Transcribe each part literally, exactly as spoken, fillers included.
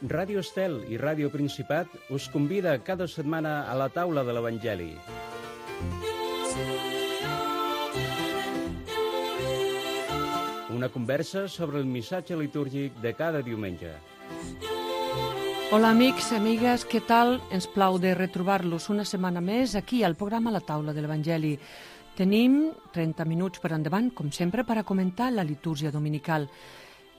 Ràdio Estel i Ràdio Principat us convida cada setmana a la taula de l'Evangeli. Una conversa sobre el missatge litúrgic de cada diumenge. Hola amics, amigues, què tal? Ens plau de retrobar-los una setmana més aquí al programa La Taula de l'Evangeli. Tenim trenta minuts per endavant, com sempre, per a comentar la litúrgia dominical.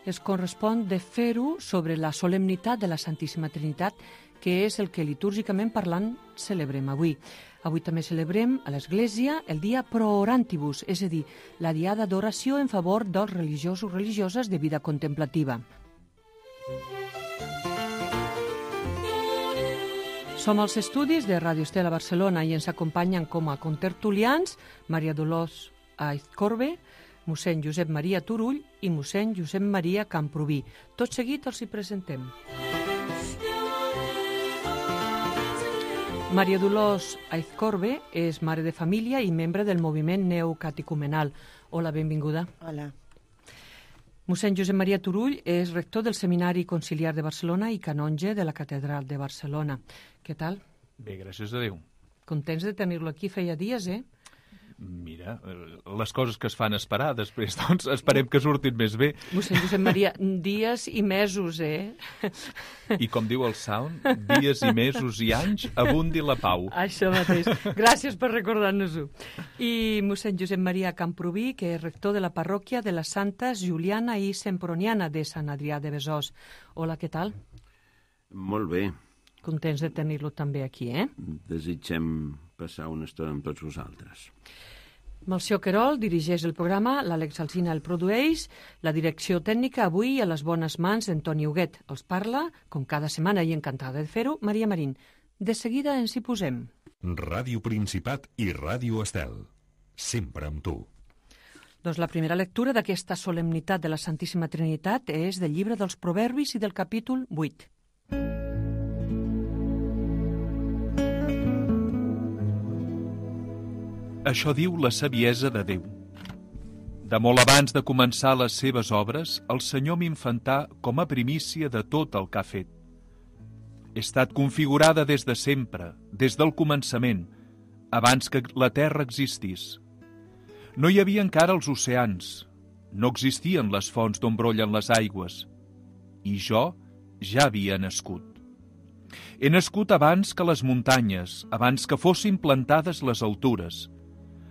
Es correspon de fer-ho sobre la solemnitat de la Santíssima Trinitat, que és el que litúrgicament parlant celebrem avui. Avui també celebrem a l'Església el dia Pro Orantibus, és a dir, la diada d'oració en favor dels religiosos i religioses de vida contemplativa. Som als estudis de Ràdio Estel a Barcelona i ens acompanyen com a contertulians Maria Dolors Aizcorbe, mossèn Josep Maria Turull i mossèn Josep Maria Camprubí. Tot seguit els hi presentem. Maria Dolors Aizcorbe és mare de família i membre del moviment neocatecumenal. Hola, benvinguda. Hola. Mossèn Josep Maria Turull és rector del Seminari Conciliar de Barcelona i canonge de la Catedral de Barcelona. Què tal? Bé, gràcies a Déu. Contents de tenir-lo aquí, feia dies, eh? Mira, les coses que es fan esperar, després, doncs, esperem que surtin més bé. Mossèn Josep Maria, dies i mesos, eh? I com diu el Sound, dies i mesos i anys, abundi la pau. Això mateix. Gràcies per recordar-nos-ho. I mossèn Josep Maria Camprubí, que és rector de la parròquia de les Santes Juliana i Semproniana de Sant Adrià de Besòs. Hola, què tal? Molt bé. Contents de tenir-lo també aquí, eh? Desitgem passar una estona amb tots vosaltres. Melcior Querol dirigeix el programa, l'Àlex Alsina el produeix, la direcció tècnica avui a les bones mans d'Antoni Huguet. Els parla, com cada setmana i encantada de fer-ho, Maria Marín. De seguida ens hi posem. Ràdio Principat i Ràdio Estel. Sempre amb tu. Doncs la primera lectura d'aquesta solemnitat de la Santíssima Trinitat és del llibre dels Proverbis i del capítol vuit. Això diu la saviesa de Déu. De molt abans de començar les seves obres, el Senyor m'infantà com a primícia de tot el que ha fet. He estat configurada des de sempre, des del començament, abans que la terra existís. No hi havia encara els oceans, no existien les fonts d'on brollen les aigües, i jo ja havia nascut. He nascut abans que les muntanyes, abans que fossin plantades les altures.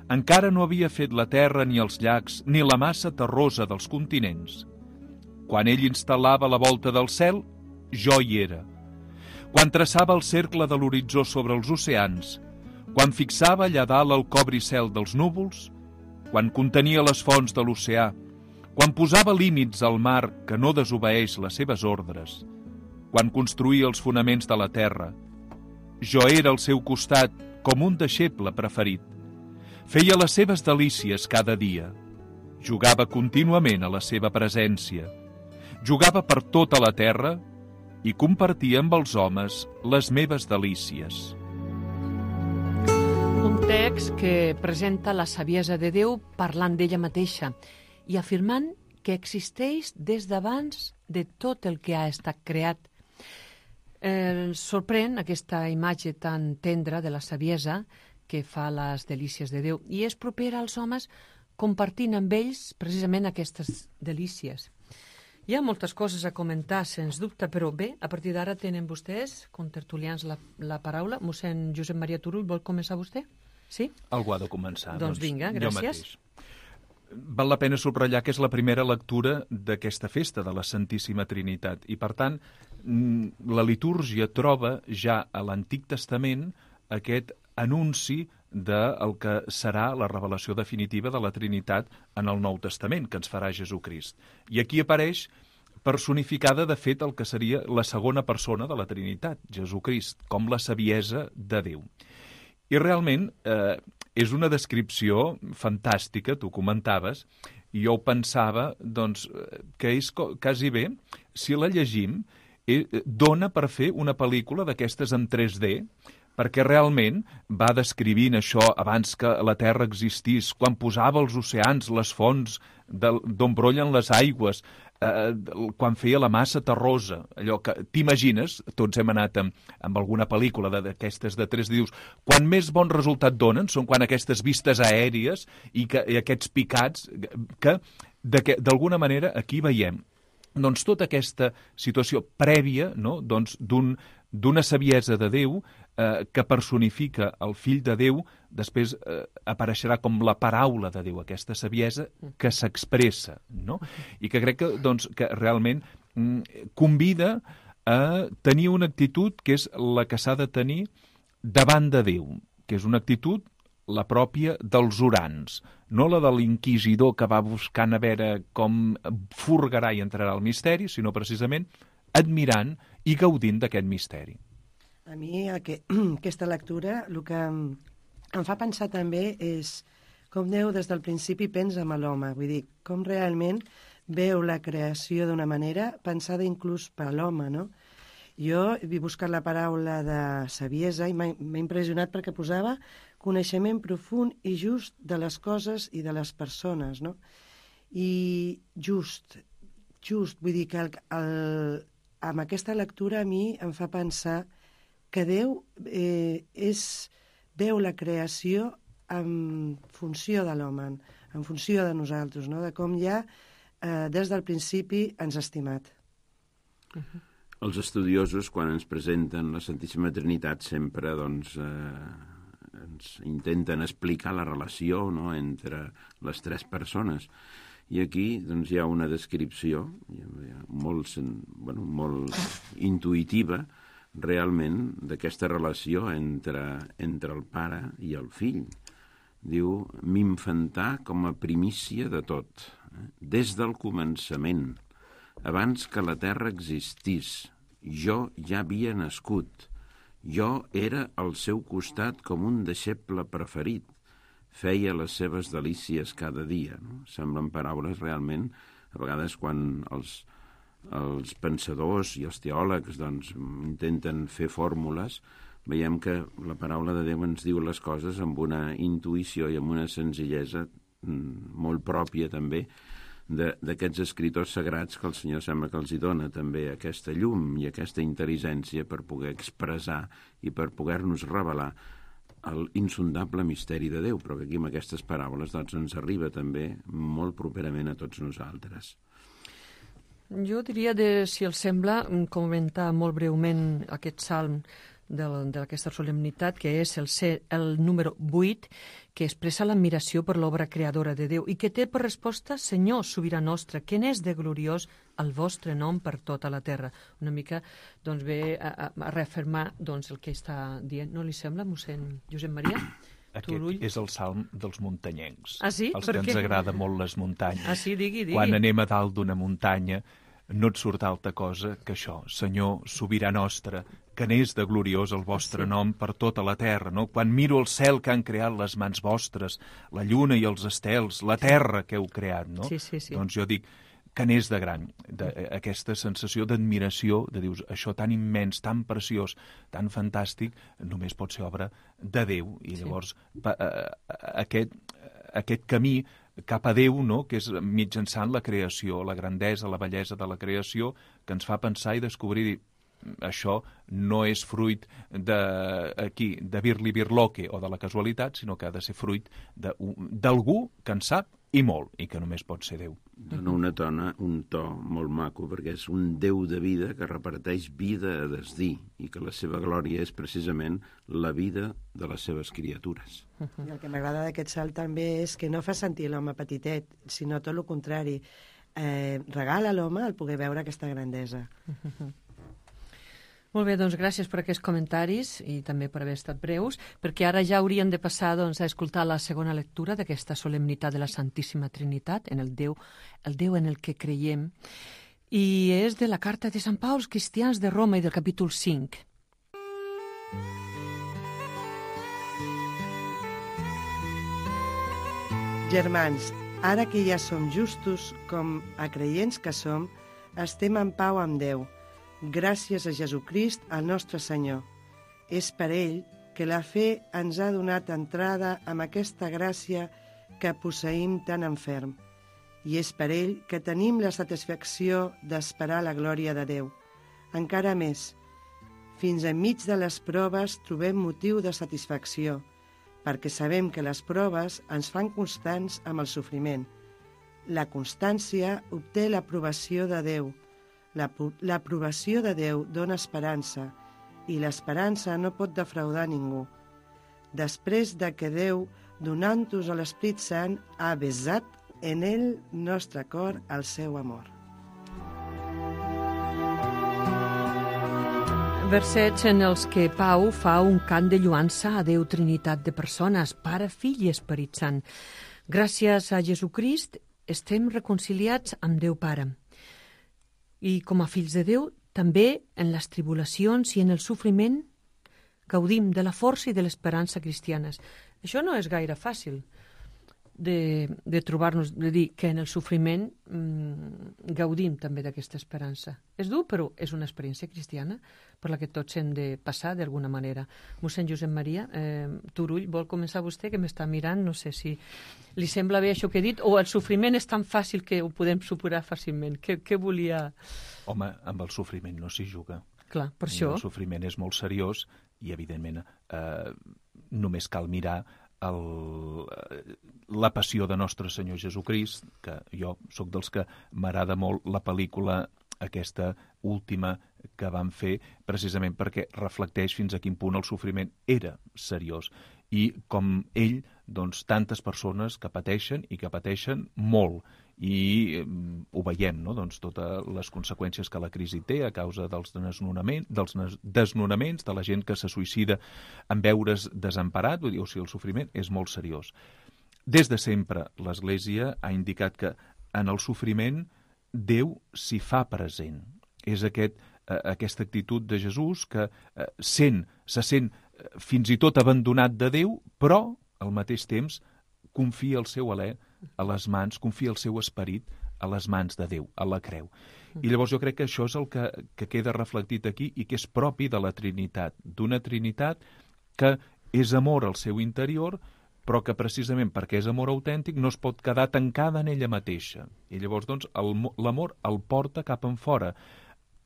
Encara no havia fet la terra ni els llacs ni la massa terrosa dels continents. Quan ell instal·lava la volta del cel, jo hi era. Quan traçava el cercle de l'horitzó sobre els oceans, quan fixava allà dalt el cobricel dels núvols, quan contenia les fonts de l'oceà, quan posava límits al mar que no desobeeix les seves ordres, quan construïa els fonaments de la terra, jo era al seu costat com un deixeble preferit. Feia les seves delícies cada dia. Jugava contínuament a la seva presència. Jugava per tota la terra i compartia amb els homes les meves delícies. Un text que presenta la saviesa de Déu parlant d'ella mateixa i afirmant que existeix des d'abans de tot el que ha estat creat. Eh, sorprèn aquesta imatge tan tendra de la saviesa que fa les delícies de Déu, i és propera als homes compartint amb ells precisament aquestes delícies. Hi ha moltes coses a comentar, sens dubte, però bé, a partir d'ara tenen vostès, contertulians, la, la paraula. Mossèn Josep Maria Turull, vol començar vostè? Sí? Algú ha de començar. Doncs vinga, gràcies. Val la pena subratllar que és la primera lectura d'aquesta festa de la Santíssima Trinitat, i per tant la litúrgia troba ja a l'Antic Testament aquest anunci del que serà la revelació definitiva de la Trinitat en el Nou Testament, que ens farà Jesucrist. I aquí apareix personificada, de fet, el que seria la segona persona de la Trinitat, Jesucrist, com la saviesa de Déu. I realment eh, és una descripció fantàstica, tu comentaves, i jo pensava doncs, que és quasi bé, si la llegim, eh, dona per fer una pel·lícula d'aquestes en tres D, perquè realment va descrivint això abans que la Terra existís, quan posava els oceans, les fonts d'on brollen les aigües, eh, quan feia la massa terrosa, allò que t'imagines, tots hem anat amb, amb alguna pel·lícula d'aquestes de tres dius, quan més bon resultat donen són quan aquestes vistes aèries i, que, i aquests picats que, d'alguna manera, aquí veiem doncs tota aquesta situació prèvia, no? doncs d'un d'una saviesa de Déu eh, que personifica el fill de Déu, després eh, apareixerà com la paraula de Déu, aquesta saviesa que s'expressa, no? I que crec que, doncs, que realment mm, convida a tenir una actitud que és la que s'ha de tenir davant de Déu, que és una actitud la pròpia dels orants, no la de l'inquisidor que va buscant a veure com furgarà i entrarà al misteri, sinó precisament admirant i gaudint d'aquest misteri. A mi que, aquesta lectura el que em, em fa pensar també és com Déu des del principi pensa amb l'home, vull dir, com realment veu la creació d'una manera pensada inclús per l'home, no? Jo he buscat la paraula de saviesa i m'ha impressionat perquè posava coneixement profund i just de les coses i de les persones, no? I just, just, vull dir que el, el, amb aquesta lectura a mi em fa pensar que Déu eh, és, veu la creació en funció de l'home, en funció de nosaltres, no? De com ja eh, des del principi ens ha estimat. Uh-huh. Els estudiosos, quan ens presenten la Santíssima Trinitat, sempre doncs, eh, ens intenten explicar la relació, no?, entre les tres persones. I aquí doncs, hi ha una descripció molt, bueno, molt intuïtiva, realment, d'aquesta relació entre, entre el pare i el fill. Diu, m'infantà com a primícia de tot, eh? Des del començament, abans que la terra existís, jo ja havia nascut. Jo era al seu costat com un deixeble preferit. Feia les seves delícies cada dia. No? Semblen paraules realment, a vegades quan els, els pensadors i els teòlegs doncs, intenten fer fórmules, veiem que la paraula de Déu ens diu les coses amb una intuïció i amb una senzillesa molt pròpia també d'aquests escriptors sagrats que el Senyor sembla que els hi dona també aquesta llum i aquesta intel·ligència per poder expressar i per poder-nos revelar l'insondable misteri de Déu, però que aquí amb aquestes paraules doncs, ens arriba també molt properament a tots nosaltres. Jo diria, de, si els sembla, comentar molt breument aquest salm d'aquesta solemnitat, que és el, el número vuit, que expressa l'admiració per l'obra creadora de Déu i que té per resposta Senyor, sobirà nostre, que n'és de gloriós el vostre nom per tota la terra. Una mica doncs, ve a, a reafirmar doncs, el que està dient. No li sembla, mossèn Josep Maria? Aquest Turull? És el salm dels muntanyencs. Ah, sí? Els per que què? Ens agrada molt les muntanyes. Ah, sí? Digui, digui. Quan anem a dalt d'una muntanya no et surt altra cosa que això. Senyor, sobirà nostre, que n'és de gloriós el vostre sí. nom per tota la terra, no? Quan miro el cel que han creat les mans vostres, la lluna i els estels, la terra que heu creat, no? Sí, sí, sí. Doncs jo dic que n'és de gran, de, aquesta sensació d'admiració, de dius, això tan immens, tan preciós, tan fantàstic, només pot ser obra de Déu. I llavors pa, uh, aquest, aquest camí cap a Déu, no?, que és mitjançant la creació, la grandesa, la bellesa de la creació, que ens fa pensar i descobrir, això no és fruit de, aquí, de birli-birloque o de la casualitat, sinó que ha de ser fruit d'algú que en sap i molt, i que només pot ser Déu. Dona una tona, un to molt maco, perquè és un Déu de vida que reparteix vida a desdir i que la seva glòria és precisament la vida de les seves criatures. I el que m'agrada d'aquest salt també és que no fa sentir l'home petitet, sinó tot el contrari. Eh, regala a l'home el poder veure aquesta grandesa. Molt bé, doncs gràcies per aquests comentaris i també per haver estat breus, perquè ara ja hauríem de passar doncs, a escoltar la segona lectura d'aquesta solemnitat de la Santíssima Trinitat, en el Déu, el Déu en el que creiem, i és de la carta de Sant Pau als cristians de Roma i del capítol cinc. Germans, ara que ja som justos com a creients que som, estem en pau amb Déu, gràcies a Jesucrist, el nostre Senyor. És per ell que la fe ens ha donat entrada amb aquesta gràcia que posseïm tan enferm, i és per ell que tenim la satisfacció d'esperar la glòria de Déu. Encara més, fins enmig de les proves trobem motiu de satisfacció, perquè sabem que les proves ens fan constants amb el sofriment. La constància obté l'aprovació de Déu. L'aprovació de Déu dona esperança, i l'esperança no pot defraudar ningú. Després de que Déu, donant-nos a l'Esprit Sant, ha besat en el nostre cor el seu amor. Versets en els que Pau fa un cant de lluança a Déu Trinitat de persones, Pare, Fill i Esperit Sant. Gràcies a Jesucrist estem reconciliats amb Déu Pare. I com a fills de Déu, també en les tribulacions i en el sofriment gaudim de la força i de l'esperança cristianes. Això no és gaire fàcil de, de trobar-nos, de dir que en el sofriment mmm, gaudim també d'aquesta esperança. És dur, però és una experiència cristiana per la que tots hem de passar d'alguna manera. Mossèn Josep Maria eh, Turull, vol començar vostè, que m'està mirant, no sé si li sembla bé això que he dit, o el sofriment és tan fàcil que ho podem superar fàcilment. Què, què volia... Home, amb el sofriment no s'hi juga. Clar, per això... El sofriment és molt seriós i, evidentment, eh, només cal mirar el, la passió de Nostre Senyor Jesucrist, que jo sóc dels que m'agrada molt la pel·lícula aquesta última que van fer, precisament perquè reflecteix fins a quin punt el sofriment era seriós. I com ell, doncs, tantes persones que pateixen i que pateixen molt. I eh, ho veiem, no? Doncs totes les conseqüències que la crisi té a causa dels desnonaments, dels desnonaments, de la gent que se suïcida en veure's desemparat, vull dir, o sigui, el sofriment és molt seriós. Des de sempre l'Església ha indicat que en el sofriment Déu s'hi fa present. És aquest, eh, aquesta actitud de Jesús que eh, sent, se sent eh, fins i tot abandonat de Déu, però al mateix temps confia el seu alè a les mans, confia el seu esperit a les mans de Déu, a la creu. I llavors jo crec que això és el que, que queda reflectit aquí i que és propi de la Trinitat, d'una Trinitat que és amor al seu interior, però que precisament perquè és amor autèntic no es pot quedar tancada en ella mateixa. I llavors, doncs, l'amor el porta cap en fora,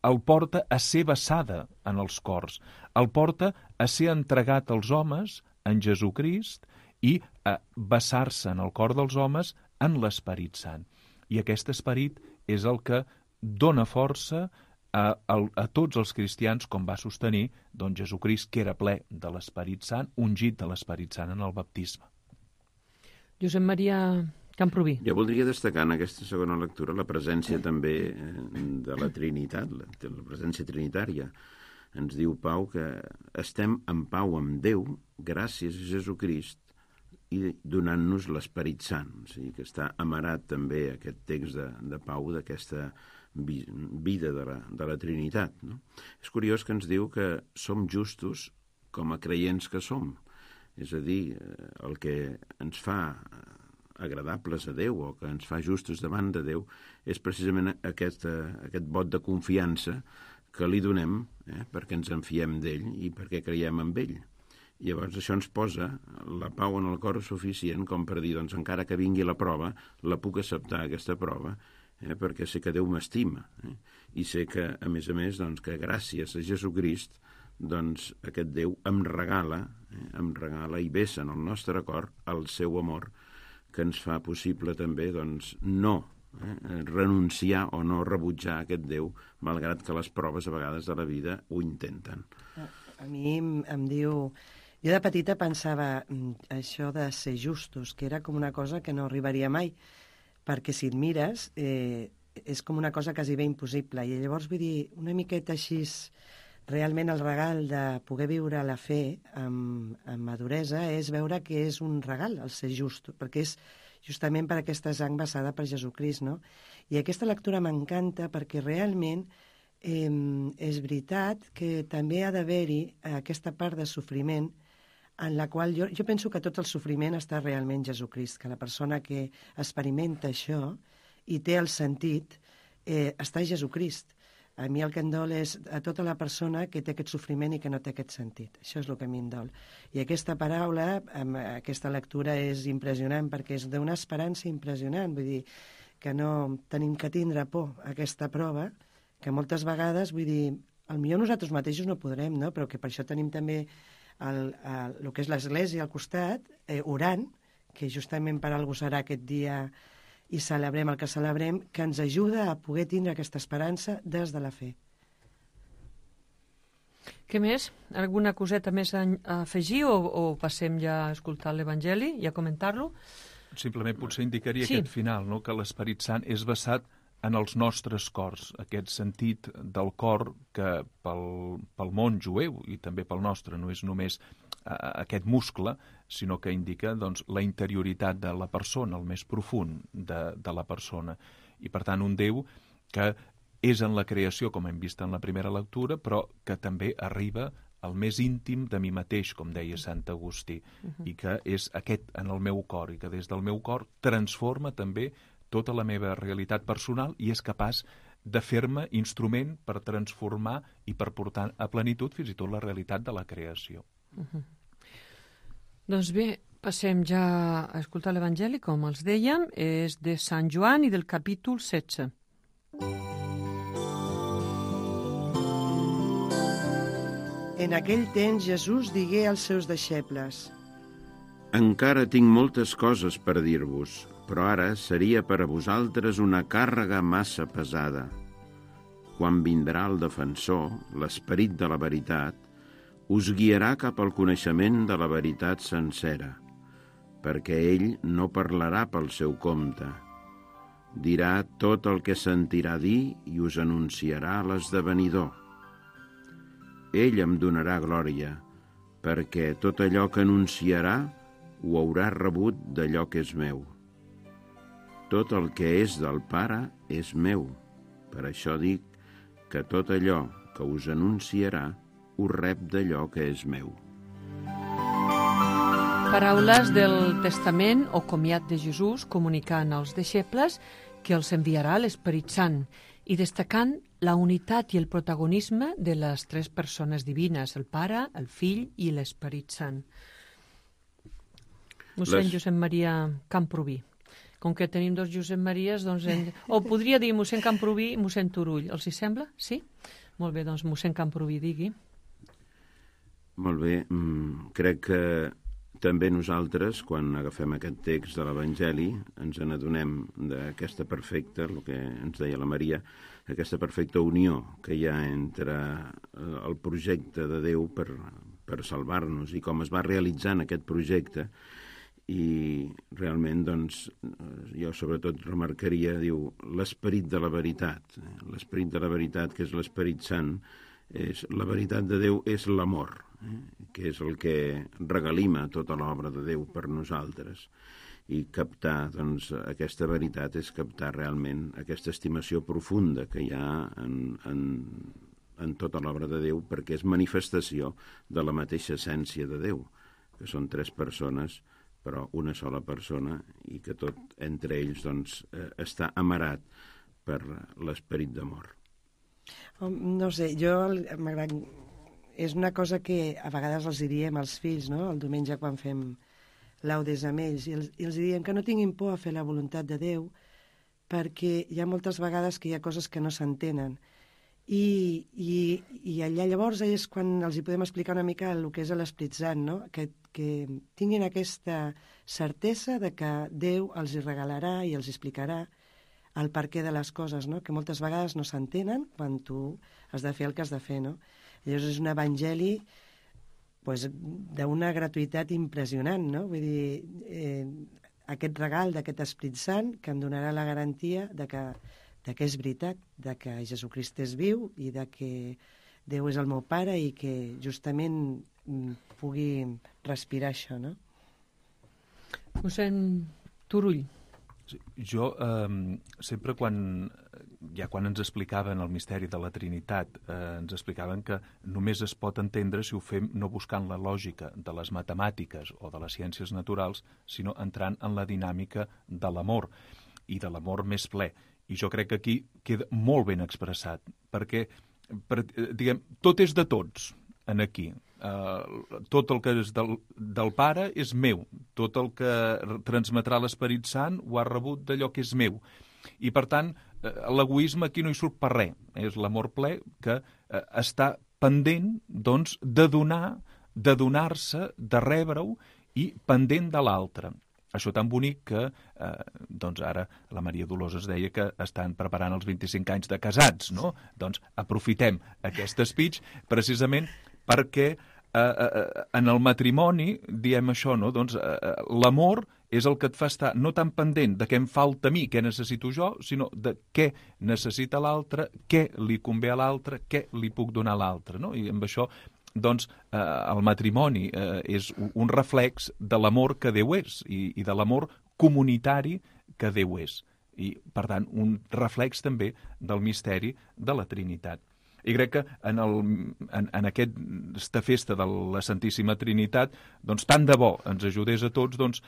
el porta a ser vessada en els cors, el porta a ser entregat als homes en Jesucrist i a vessar-se en el cor dels homes en l'Esperit Sant. I aquest esperit és el que dona força a, a, a tots els cristians, com va sostenir doncs, Jesucrist, que era ple de l'Esperit Sant, ungit de l'Esperit Sant en el baptisme. Josep Maria Camprubí. Jo voldria destacar en aquesta segona lectura la presència també de la Trinitat, la, la presència trinitària. Ens diu Pau que estem en pau amb Déu gràcies a Jesucrist i donant-nos l'Esperit Sant. O sigui que està amarat també aquest text de, de Pau d'aquesta vi, vida de la, de la Trinitat. No? És curiós que ens diu que som justos com a creients que som. És a dir, el que ens fa agradables a Déu o que ens fa justos davant de Déu és precisament aquest, aquest vot de confiança que li donem eh, perquè ens en fiem d'ell i perquè creiem en ell. I llavors això ens posa la pau en el cor suficient com per dir, doncs encara que vingui la prova, la puc acceptar aquesta prova eh, perquè sé que Déu m'estima eh, i sé que, a més a més, doncs, que gràcies a Jesucrist doncs aquest Déu em regala, eh, em regala i vessa en el nostre cor el seu amor que ens fa possible també doncs, no eh, renunciar o no rebutjar aquest Déu, malgrat que les proves a vegades de la vida ho intenten. A mi em, em diu... Jo de petita pensava això de ser justos, que era com una cosa que no arribaria mai, perquè si et mires eh, és com una cosa quasi bé impossible. I llavors vull dir, una miqueta així... Realment el regal de poder viure la fe amb, amb maduresa és veure que és un regal el ser just, perquè és justament per aquesta sang vessada per Jesucrist, no? I aquesta lectura m'encanta perquè realment eh, és veritat que també ha d'haver-hi aquesta part de sofriment en la qual jo, jo penso que tot el sofriment està realment Jesucrist, que la persona que experimenta això i té el sentit eh, està Jesucrist. A mi el que em dol és a tota la persona que té aquest sofriment i que no té aquest sentit. Això és el que a mi em dol. I aquesta paraula, amb aquesta lectura, és impressionant, perquè és d'una esperança impressionant. Vull dir, que no tenim que tindre por a aquesta prova, que moltes vegades, vull dir, potser nosaltres mateixos no podrem, no? Però que per això tenim també el, el, el que és l'Església al costat, eh, orant, que justament per algú serà aquest dia i celebrem el que celebrem, que ens ajuda a poder tindre aquesta esperança des de la fe. Què més? Alguna coseta més a afegir o, o passem ja a escoltar l'Evangeli i a comentar-lo? Simplement potser indicaria sí. Aquest final, no? Que l'Esperit Sant és basat en els nostres cors, aquest sentit del cor que pel, pel món jueu i també pel nostre no és només uh, aquest muscle, sinó que indica doncs, la interioritat de la persona, el més profund de, de la persona. I per tant un Déu que és en la creació, com hem vist en la primera lectura, però que també arriba al més íntim de mi mateix, com deia Sant Agustí, uh-huh. i que és aquest en el meu cor, i que des del meu cor transforma també tota la meva realitat personal i és capaç de fer-me instrument per transformar i per portar a plenitud fins i tot la realitat de la creació. Uh-huh. Doncs bé, passem ja a escoltar l'Evangeli, com els dèiem, és de Sant Joan i del capítol setze. En aquell temps Jesús digué als seus deixebles: Encara tinc moltes coses per dir-vos, però ara seria per a vosaltres una càrrega massa pesada. Quan vindrà el defensor, l'Esperit de la veritat, us guiarà cap al coneixement de la veritat sencera, perquè ell no parlarà pel seu compte. Dirà tot el que sentirà dir i us anunciarà l'esdevenidor. Ell em donarà glòria, perquè tot allò que anunciarà ho haurà rebut d'allò que és meu. Tot el que és del Pare és meu. Per això dic que tot allò que us anunciarà ho rep d'allò que és meu. Paraules del Testament o comiat de Jesús comunicant als deixebles que els enviarà l'Esperit Sant i destacant la unitat i el protagonisme de les tres persones divines, el Pare, el Fill i l'Esperit Sant. Mossèn Les... Josep Maria Camprubí. Com que tenim dos Josep Maries, doncs... En... O podria dir mossèn Camprubí i mossèn Turull. Els hi sembla? Sí? Molt bé, doncs mossèn Camprubí, digui. Molt bé. Mm, crec que també nosaltres, quan agafem aquest text de l'Evangeli, ens n'adonem d'aquesta perfecta, el que ens deia la Maria, aquesta perfecta unió que hi ha entre el projecte de Déu per, per salvar-nos i com es va realitzant aquest projecte. I realment, doncs, jo sobretot remarcaria, diu, l'esperit de la veritat. L'esperit de la veritat, que és l'Esperit Sant, és, la veritat de Déu és l'amor, eh? que és el que regalima tota l'obra de Déu per nosaltres. I captar, doncs, aquesta veritat és captar realment aquesta estimació profunda que hi ha en, en, en tota l'obra de Déu, perquè és manifestació de la mateixa essència de Déu, que són tres persones, però una sola persona, i que tot entre ells doncs, eh, està amarat per l'esperit d'amor. No sé, jo m'agrada... És una cosa que a vegades els diem als fills, no? El diumenge quan fem laudes amb ells, i els, i els diem que no tinguin por a fer la voluntat de Déu, perquè hi ha moltes vegades que hi ha coses que no s'entenen. I, i, i allà llavors és quan els hi podem explicar una mica el que és l'Esperit Sant, no? que, que tinguin aquesta certesa de que Déu els hi regalarà i els explicarà el perquè de les coses, no? Que moltes vegades no s'entenen quan tu has de fer el que has de fer. No? Llavors és un evangeli pues, d'una gratuïtat impressionant, no? Vull dir, eh, aquest regal d'aquest Esperit Sant que em donarà la garantia de que de que és veritat, de que Jesucrist és viu i de que Déu és el meu pare i que justament pugui respirar això, no? Mossèn Turull. Sí, jo eh, sempre quan, ja quan ens explicaven el misteri de la Trinitat, eh, ens explicaven que només es pot entendre si ho fem no buscant la lògica de les matemàtiques o de les ciències naturals, sinó entrant en la dinàmica de l'amor. i de l'amor més ple. I jo crec que aquí queda molt ben expressat, perquè per, diguem, tot és de tots en aquí. Uh, tot el que és del, del Pare és meu, tot el que transmetrà l'Esperit Sant ho ha rebut d'allò que és meu. I, per tant, uh, l'egoisme aquí no hi surt per res. És l'amor ple que uh, està pendent, doncs, de donar, de donar-se, de rebre-ho i pendent de l'altre. Això tan bonic que, eh, doncs ara la Maria Dolors es deia que estan preparant els vint-i-cinc anys de casats, no? Doncs aprofitem aquest speech precisament perquè eh, eh, en el matrimoni diem això, no? Doncs eh, l'amor és el que et fa estar no tan pendent de què em falta a mi, què necessito jo, sinó de què necessita l'altre, què li convé a l'altre, què li puc donar a l'altre, no? I amb això doncs eh, el matrimoni eh, és un reflex de l'amor que Déu és i, i de l'amor comunitari que Déu és. I, per tant, un reflex també del misteri de la Trinitat. I crec que en, el, en, en aquesta festa de la Santíssima Trinitat, doncs tant de bo ens ajudés a tots, doncs,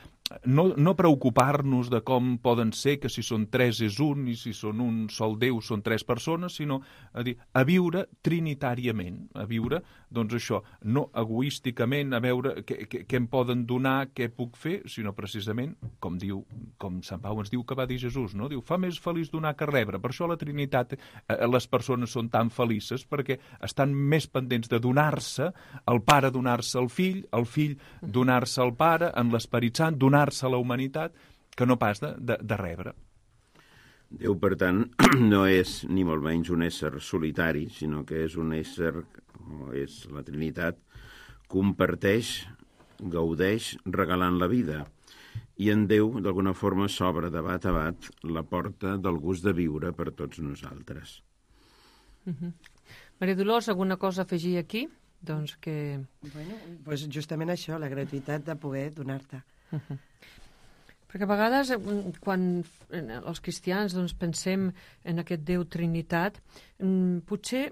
no, no preocupar-nos de com poden ser, que si són tres és un i si són un sol Déu són tres persones, sinó a, dir, a viure trinitàriament, a viure, doncs això, no egoísticament, a veure què, què, què em poden donar, què puc fer, sinó precisament, com diu, com Sant Pau ens diu que va dir Jesús, no? Diu, fa més feliç donar que rebre. Per això la Trinitat, eh, les persones són tan feliços, perquè estan més pendents de donar-se, el pare donar-se al fill, el fill donar-se al pare, en l'Esperit Sant, donar-se a la humanitat, que no pas de, de, de rebre. Déu, per tant, no és ni molt menys un ésser solitari, sinó que és un ésser, o és la Trinitat, comparteix, gaudeix, regalant la vida. I en Déu, d'alguna forma, s'obre de bat a bat la porta del gust de viure per tots nosaltres. Uh-huh. Maria Dolors, alguna cosa a afegir aquí? Doncs que... Bueno, pues justament això, la gratuïtat de poder donar-te. Uh-huh. Perquè a vegades, quan els cristians doncs, pensem en aquest Déu Trinitat, potser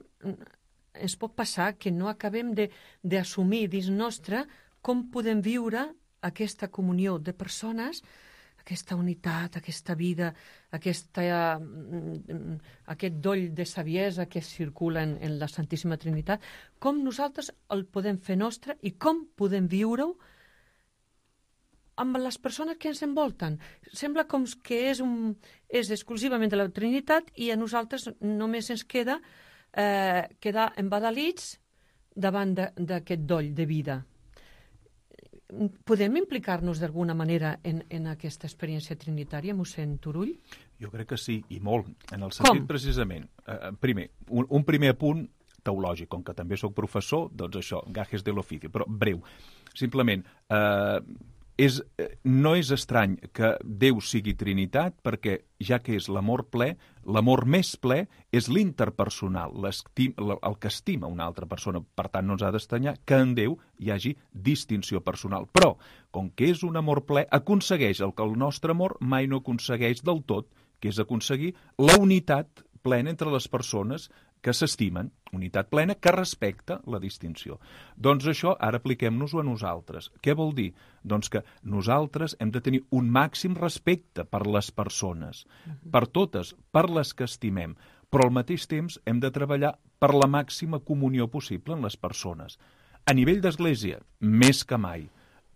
ens pot passar que no acabem d'assumir dins nostre com podem viure aquesta comunió de persones, aquesta unitat, aquesta vida, aquesta, aquest doll de saviesa que circula en, en la Santíssima Trinitat, com nosaltres el podem fer nostre i com podem viure-ho amb les persones que ens envolten. Sembla com que és, un, és exclusivament de la Trinitat i a nosaltres només ens queda eh, quedar embadalits davant d'aquest doll de vida. Podem implicar-nos d'alguna manera en, en aquesta experiència trinitària, mossèn Turull? Jo crec que sí, i molt. En el sentit, com? Precisament, eh, primer, un, un primer apunt teològic, com que també sóc professor, doncs això, gajes de l'ofici, però breu. Simplement, eh, és, no és estrany que Déu sigui Trinitat, perquè ja que és l'amor ple, l'amor més ple és l'interpersonal, el que estima una altra persona. Per tant, no ens ha d'estranyar que en Déu hi hagi distinció personal. Però, com que és un amor ple, aconsegueix el que el nostre amor mai no aconsegueix del tot, que és aconseguir la unitat plena entre les persones que s'estimen, unitat plena que respecta la distinció. Doncs això ara apliquem-nos-ho a nosaltres. Què vol dir? Doncs que nosaltres hem de tenir un màxim respecte per les persones, uh-huh. per totes, per les que estimem, però al mateix temps hem de treballar per la màxima comunió possible en les persones. A nivell d'església, més que mai,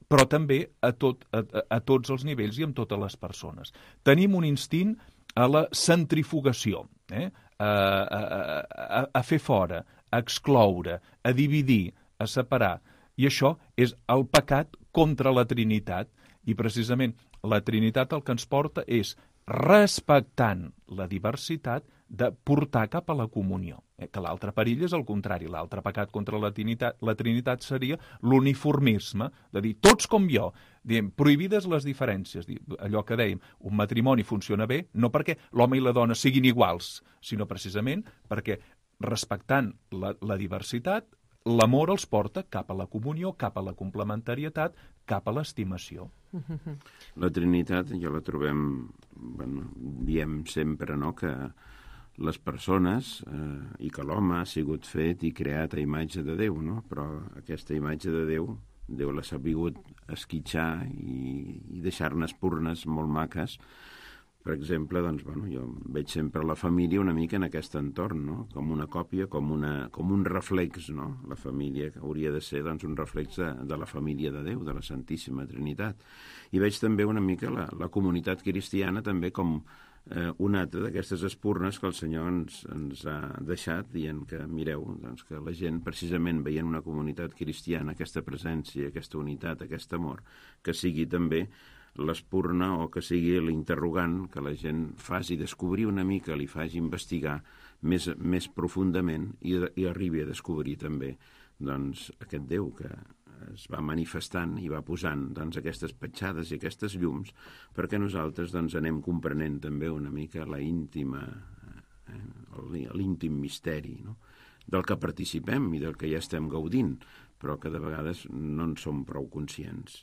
però també a, tot, a, a tots els nivells i amb totes les persones. Tenim un instint a la centrifugació, eh? A, a, a, a fer fora, a excloure, a dividir, a separar. I això és el pecat contra la Trinitat. I precisament la Trinitat el que ens porta és, respectant la diversitat, de portar cap a la comunió. Eh? Que l'altre perill és el contrari. L'altre pecat contra la Trinitat, la Trinitat seria l'uniformisme, de dir, tots com jo, diem, prohibides les diferències. Allò que dèiem, un matrimoni funciona bé, no perquè l'home i la dona siguin iguals, sinó precisament perquè, respectant la, la diversitat, l'amor els porta cap a la comunió, cap a la complementarietat, cap a l'estimació. La Trinitat ja la trobem, bueno, diem sempre, no?, que les persones eh, i que l'home ha sigut fet i creat a imatge de Déu, no? Però aquesta imatge de Déu, Déu l'ha sabut esquitxar i, i deixar-ne espurnes molt maques per exemple, doncs, bueno, jo veig sempre la família una mica en aquest entorn, no? Com una còpia, com, una, com un reflex, no? La família que hauria de ser doncs, un reflex de, de la família de Déu, de la Santíssima Trinitat. I veig també una mica la, la comunitat cristiana també com eh, una altra d'aquestes espurnes que el Senyor ens, ens ha deixat, dient que, mireu, doncs, que la gent, precisament veient una comunitat cristiana, aquesta presència, aquesta unitat, aquest amor, que sigui també l'espurna o que sigui l'interrogant que la gent faci descobrir una mica, li faci investigar més, més profundament i, i arribi a descobrir també doncs, aquest Déu que es va manifestant i va posant doncs, aquestes petjades i aquestes llums perquè nosaltres doncs, anem comprenent també una mica la íntima, eh, l'íntim misteri, no? Del que participem i del que ja estem gaudint, però que de vegades no en som prou conscients.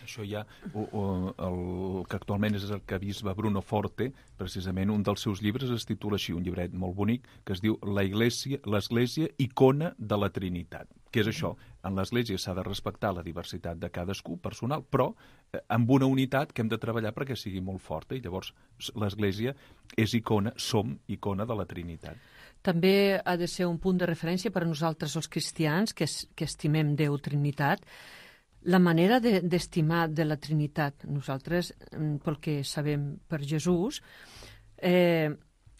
Això ja, o, o, el que actualment és el que bisbe Bruno Forte, precisament un dels seus llibres es titula així, un llibret molt bonic, que es diu La Iglesia, l'Església, icona de la Trinitat. Què és això? En l'Església s'ha de respectar la diversitat de cadascú, personal, però eh, amb una unitat que hem de treballar perquè sigui molt forta, i llavors l'Església és icona, som icona de la Trinitat. També ha de ser un punt de referència per a nosaltres els cristians, que, es, que estimem Déu Trinitat, la manera d'estimar de, de la Trinitat. Nosaltres, pel que sabem per Jesús, eh,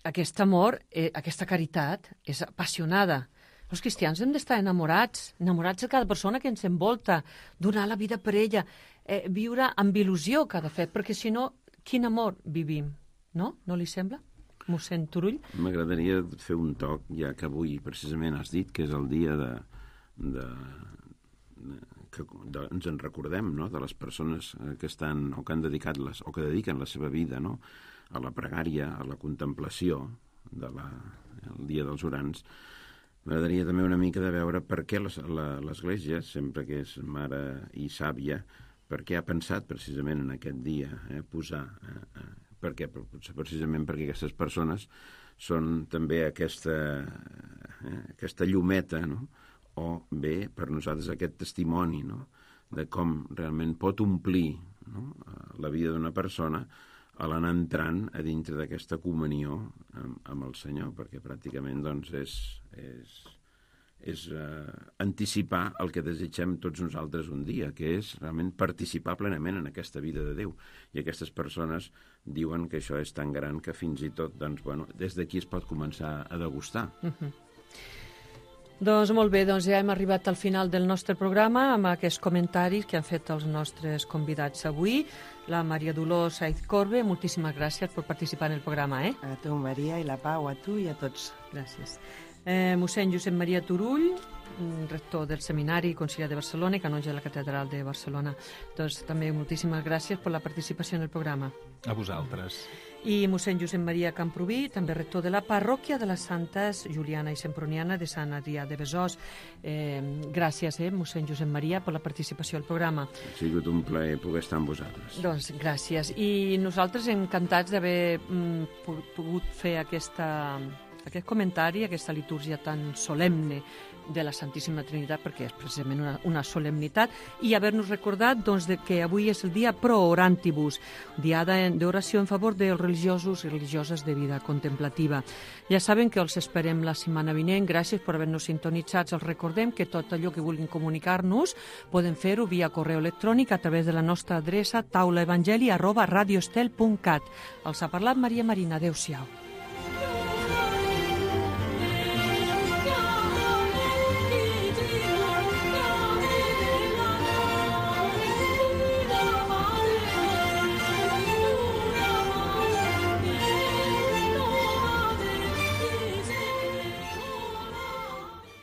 aquest amor, eh, aquesta caritat és apassionada. Els cristians hem d'estar enamorats, enamorats de cada persona que ens envolta, donar la vida per ella, eh, viure amb il·lusió cada fet, perquè si no, quin amor vivim, no? No li sembla? Mossèn Turull? M'agradaria fer un toc, ja que avui precisament has dit que és el dia de... de que de, ens en recordem, no?, de les persones que estan o que han dedicat les, o que dediquen la seva vida, no?, a la pregària, a la contemplació de la, el dia dels orants. M'agradaria també una mica de veure per què l'Església, sempre que és mare i sàvia, per què ha pensat precisament en aquest dia eh, posar, eh, eh, per què? Precisament perquè aquestes persones són també aquesta, eh, aquesta llumeta, no?, o bé per nosaltres aquest testimoni, no?, de com realment pot omplir, no?, la vida d'una persona a l'anar entrant a dintre d'aquesta comunió amb, amb el Senyor, perquè pràcticament doncs, és, és, és eh, anticipar el que desitgem tots nosaltres un dia, que és realment participar plenament en aquesta vida de Déu. I aquestes persones diuen que això és tan gran que fins i tot doncs, bueno, des d'aquí es pot començar a degustar. Uh-huh. Doncs molt bé, doncs ja hem arribat al final del nostre programa amb aquests comentaris que han fet els nostres convidats avui. La Maria Dolors Saiz Corbe, moltíssimes gràcies per participar en el programa. Eh? A tu, Maria, i la Pau, a tu i a tots. Gràcies. Eh, mossèn Josep Maria Turull, rector del Seminari i Conciliar de Barcelona i canonge de la Catedral de Barcelona. Doncs també moltíssimes gràcies per la participació en el programa. A vosaltres. I mossèn Josep Maria Camproví, també rector de la parròquia de les Santes Juliana i Semproniana de Sant Adrià de Besòs. Eh, gràcies, eh, mossèn Josep Maria, per la participació al programa. Ha sigut un plaer poder estar amb vosaltres. Doncs gràcies. I nosaltres encantats d'haver mm, pogut fer aquesta, aquest comentari, aquesta litúrgia tan solemne de la Santíssima Trinitat, perquè és precisament una, una solemnitat, i haver-nos recordat doncs, de que avui és el dia Pro Orantibus, diada d'oració en favor dels religiosos i religioses de vida contemplativa. Ja saben que els esperem la setmana vinent. Gràcies per haver-nos sintonitzats. Els recordem que tot allò que vulguin comunicar-nos poden fer-ho via correu electrònic a través de la nostra adreça taulaevangeli arroba radioestel punt cat. Els ha parlat Maria Marina. Adéu-siau.